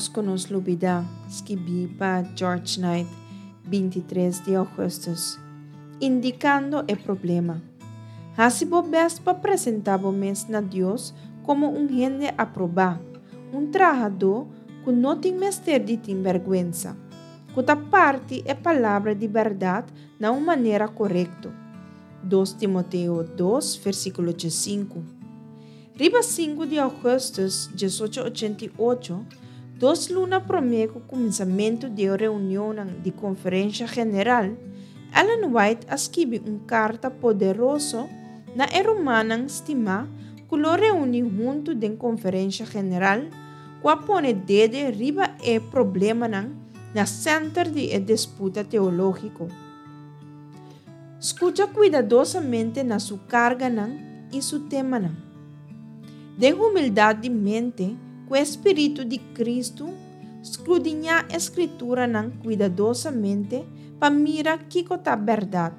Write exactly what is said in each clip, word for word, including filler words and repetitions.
Ménos ku nos lubidá, skibí pa George Knight, bintitres di ougùstùs. Indikando e problema. Hasi bo bèst pa presentá bo mes na Dios komo un hende aprobá, un trahadó ku no tin mester di tin bèrgwensa, ku ta parti e palabra di bèrdat na un manera korekto. Dos Timoteo dos, versíkulo diesinku. Riba sinku di ougùstùs diesocho ochenta i ocho, dos luna promé ku kuminsamentu di e reunionnan di Konferensha General, Ellen White a skibi un karta poderoso na e rumannan stimá ku lo reuní huntu den Konferensha General ku a pone dede riba e problemanan na sènter di e disputa teológiko. Skucha kuidadosamente na su karganan i su temanan. Den humildat di mente, ku e spiritu di Kristu, skrudiñá e Skrituranan kuidadosamente pa mira kiko ta bèrdat.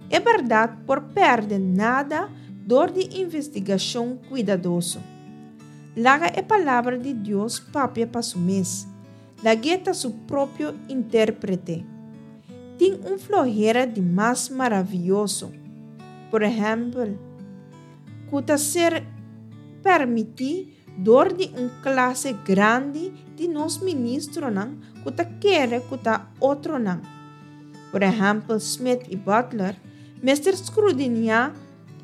E bèrdat por pèrdè nada dor di investigashon kuidadoso. Laga e Palabra di Dios papia pa su mes. Lag'é ta su propio intérprete. Tin un flohera di mas maravioso, por ehèmpel, ku ta ser pèrmití dor di un klase grandi di nos ministronan ku ta kere ku ta otronan, por ehèmpel Smith i Butler, mester skrudiñá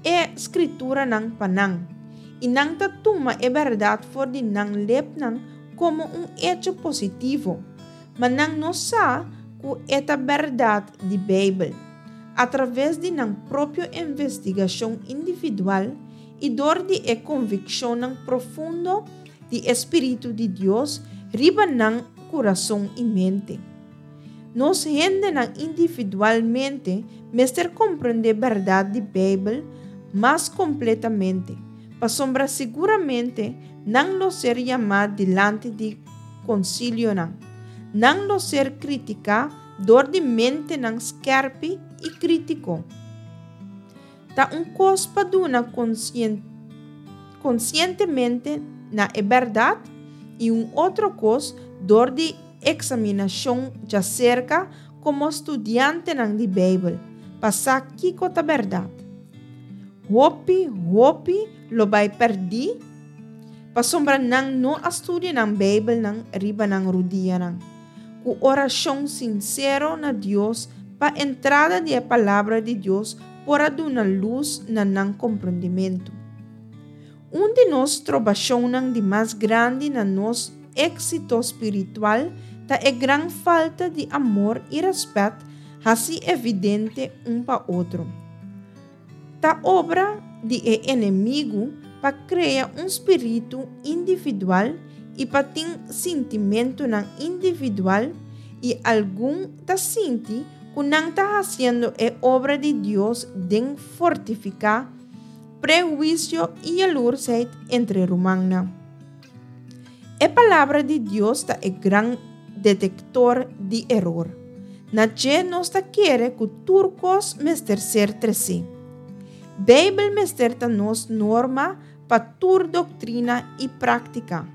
e Skrituranan pa nan, i nan ta tuma e bèrdat for di nan lepnan komo un echo positivo, ma nan no sa ku e ta bèrdat di Beibel, atraves di nan propio investigashon individual i dor di e konvikshonnan profundo di e spiritu di Dios riba nan kurason i mente. Nos hendenan individualmente mester komprendé bèrdat di Beibel mas kompletamente, pasobra siguramente nan lo ser yamá dilanti di konsilionan. Nan lo ser kritiká dor di mentenan skèrpi i krítiko. Ta un kos pa duna konsientemente na e bèrdat i un otro kos dor di eksaminashon djaserka komo studiantenan di Beibel pa sa kiko ta bèrdat. Hopi, hopi lo bai pèrdí pasobra nan no a studia nan Beibelnan riba nan rudianan, ku orashon sinsero na Dios pa entrada di e Palabra di Dios por a duna lus na nan komprondimentu. Un di nos trobashonnan di mas grandi na nos éksito spiritual ta e gran falta di amor i rèspèt hasi evidente un pa otro. Ta obra di e enemigu pa krea un spiritu individual i pa tin sintimentunan individual i algun ta sinti ku nan ta hasiendo e obra di Dios den fortifiká prehuisio i yalursheid entre rumannan. E Palabra di Dios ta e gran detektor di eror. Na dje nos ta kere ku tur kos mester ser tresé. Beibel mester ta nos norma pa tur doktrina i práktika.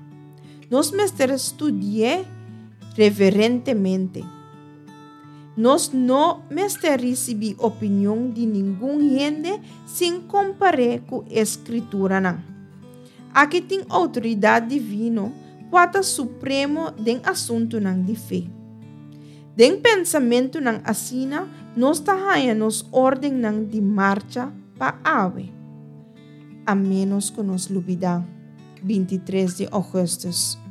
Nos mester studi'é reverentemente. Nos no mester risibí opinion di ningun hende sin kompar'é ku e Skrituranan. Aki tin outoridat divino kua ta supremo den asuntunan di fe. Den pensamentunan asina nos ta haña nos órdennan di marcha pa awe. A ménos ku nos lubidá. Bintitres di ougùstùs.